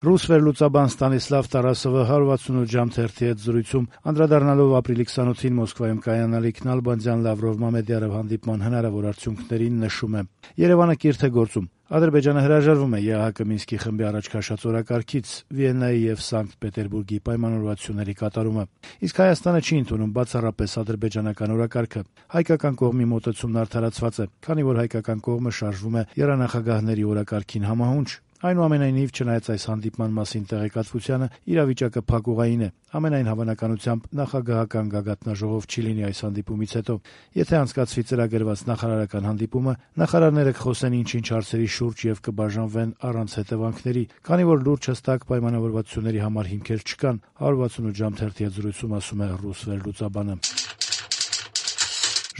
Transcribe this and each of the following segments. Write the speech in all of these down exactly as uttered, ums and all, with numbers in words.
Ռուս վերլուծաբան Ստանիսլավ Տարասովը հարյուր վաթսունութ ժամ թերթի հետ զրույցում անդրադառնալով ապրիլի քսանօթին Մոսկվայում կայանալիք Նալբանդյան-Լավրով-Մամեդյարով հանդիպման հնարավոր արդյունքներին նշում է. «Երևանը կիրթ է գործում։ Ադրբեջանը հրաժարվում է ԵԱՀԿ Մինսկի խմբի առաջ քաշած օրակարգից, Վիեննայի եւ Սանկտ Պետերբուրգի պայմանավորվածությունների կատարումը։ Իսկ Հայաստանը չի ընդունում բացառապես ադրբեջանական օրակարգը։ Հայկական կողմի մոտեցումն արդարացված է, քանի որ հայկական կողմը շարժվում է եռանախագահների օրակարգին համահունչ։ Այնուամենայնիվ, չնայած այս հանդիպման մասին տեղեկատվությանը, իրավիճակը փակուղային է։ Ամենայն հավանականությամբ նախագահական գագաթնաժողով չի լինի այս հանդիպումից հետո։ Եթե անցկացվի ծրագրված նախարարական հանդիպումը, նախարարները կխոսեն ինչ-ինչ հարցերի շուրջ եւ կբաժանվեն առանց հետևանքների, քանի որ լուրջ հստակ պայմանավորվածությունների համար հիմքեր չկան», հարյուր վաթսունութ ժամ թերթի հետ զրույցում ասում է ռուս վերլուծաբանը։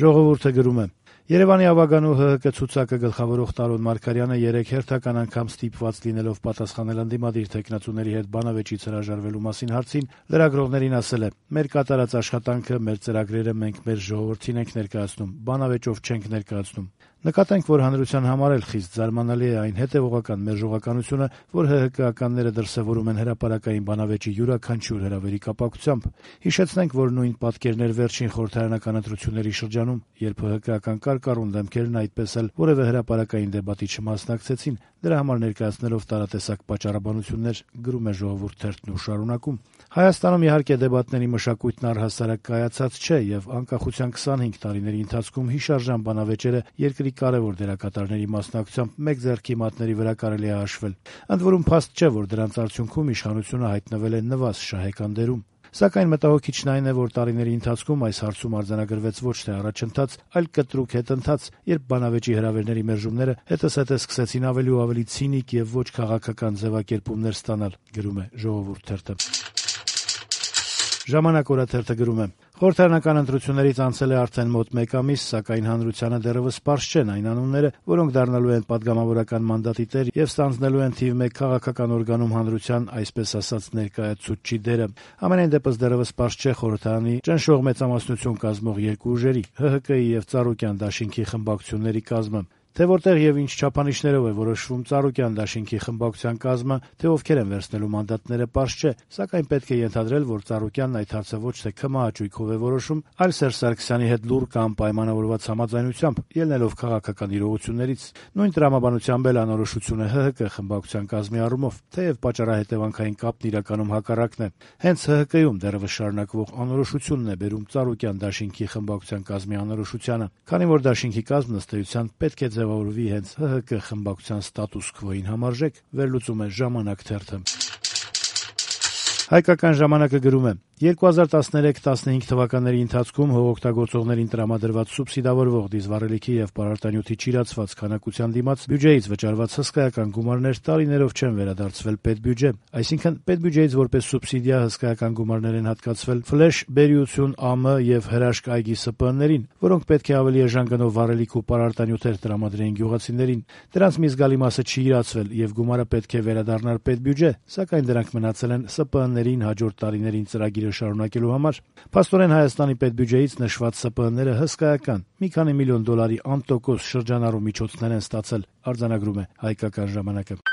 Ժողովուրդը գրում է. Երևանի ավագանու ՀՀԿ ցուցակը գլխավորող Տարոն Մարգարյանը երեկ հերթական անգամ ստիպված լինելով պատասխանել ընդդիմադիր թեկնածուների հետ բանավեճից հրաժարվելու մասին հարցին, լրագրողներին ասել է. «Մեր կատարած աշխատանքը, մեր ծրագրերը մենք մեր ժողովրդին ենք ներկայացնում, բանավեճով չենք ներկայացնում։ Նկատենք, որ հանրության համար էլ խիստ զարմանալի է այն հետևողական մերժողականությունը, որ ՀՀԿ-ականները դրսևորում են հրապարակային բանավեճի յուրաքանչյուր հրավերի կապակցությամբ։ Հիշեցնենք, որ նույն պատկերն էր վերջին խորհրդարանական ընտրությունների շրջանում, երբ ՀՀԿ-ական կարկառուն դեմքերն այդպես էլ որևէ հրապարակային դեբատի չմասնակցեցին, դրա համար ներկայացնելով տարատեսակ պատճառաբանություններ», գրում է Ժողովուրդ թերթն ու շարունակում. «Հայաստանում իհարկե դեբատների մշակույթն առհասարակ կայացած չէ եւ անկախության քսանհինգ տարիների ընթացքում հիշարժան բանավեճերը երկրի կարեւոր դերակատարների մասնակցությամբ մեկ ձեռքի մատների վրա կարելի է հաշվել։ Ընդ որում փաստ չէ, որ դրանց արդյունքում իշխանությունը հայտնվել է նվազ շահեկան դերում։ Սակայն մտահոգիչն այն է, որ տարիների ընթացքում այս հարցում արձանագրվեց ոչ թե առաջընթաց, այլ կտրուկ հետընթաց, երբ բանավեճի հրավերների մերժումները հետզհետե սկսեցին ավելի ու ավելի ցինիկ եւ ոչ քաղաքական ձևակերպումներ ստանալ», գրում է Ժողովուրդ թերթը։ Ժամանակ օրաթերթը գրում է. «Խորհրդարանական ընտրություններից անցել է արդեն մոտ մեկ ամիս, սակայն հանրությանը դեռևս պարզ չեն այն անունները, որոնք դառնալու են պատգամավորական մանդատի տեր եւ ստանձնելու են թիվ մեկ քաղաքական օրգանում հանրության, այսպես ասած, ներկայացուցչի դերը։ Համենայն դեպս դեռևս պարզ չէ խորհրդարանի ճնշող մեծամասնություն կազմող երկու ուժերի՝ ՀՀԿ-ի եւ Ծառուկյան դաշինքի խմբակցությունների կազմը։ Թե որտեղ եւ ինչ չափանիշներով է որոշվում Ծառուկյան դաշինքի խմբակցության կազմը, թե ովքեր են վերցնելու մանդատները, պարզ չէ, սակայն պետք է ենթադրել, որ Ծառուկյանն այդ հարցը ոչ թե քմահաճույքով է որոշում, այլ Սերժ Սարգսյանի հետ լուռ կամ պայմանավորված համաձայնությամբ, ելնելով քաղաքական իրողություններից։ Նույն տրամաբանությամբ էլ անորոշություն է ՀՀԿ խմբակցության կազմի առումով, թեև պատճառահետևանքային կապն իրականում հակառակն է։ Հենց ՀՀԿ-ում դեռևս շարունակվող անորոշությունն է բերում Ծառուկյան դաշինքի խմբակցության կազմի անորոշությանը, քանի որ դաշինքի կազմն ըստ էության պետք է ձևավորվի հենց ՀՀԿ խմբակցության ստատուս քվոին համարժեք, վերլուծում է Ժամանակ թերթը։ Հայկական ժամանակը գրում է. երկու հազար տասներեք տասնհինգ թվականների ընթացքում հողօգտագործողներին տրամադրված սուբսիդավորվող դիզվառելիքի եւ պարարտանյութի չիրացված քանակության դիմաց բյուջեից վճարված հսկայական գումարներ տարիներով չեն վերադարձվել պետբյուջե, այսինքն պետբյուջեից որպես սուբսիդիա հսկայական գումարներ են հատկացվել ֆլեշ, բերիություն, ԱՄ եւ հրաշք այգի ՍՊԸ-ներին, որոնք պետք է ավելի էժան գնով վառելիք ու պարարտանյութեր տրամադրեին գյուղացիներին։ Դրանց մի զգալի մասը չի իրացվել եւ գումարը պետք է վերադառնար պետբյուջե, սակայն դրանք մնացել են ՍՊԸ-ներին հաջորդ տարիներին ծրագիրը շարունակելու համար։ Փաստորեն Հայաստանի պետբյուջեից նշված ՍՊԸ-ները հսկայական մի քանի միլիոն դոլարի անտոկոս շրջանառու միջոցներ են ստացել, արձանագրում է Հայկական ժամանակը։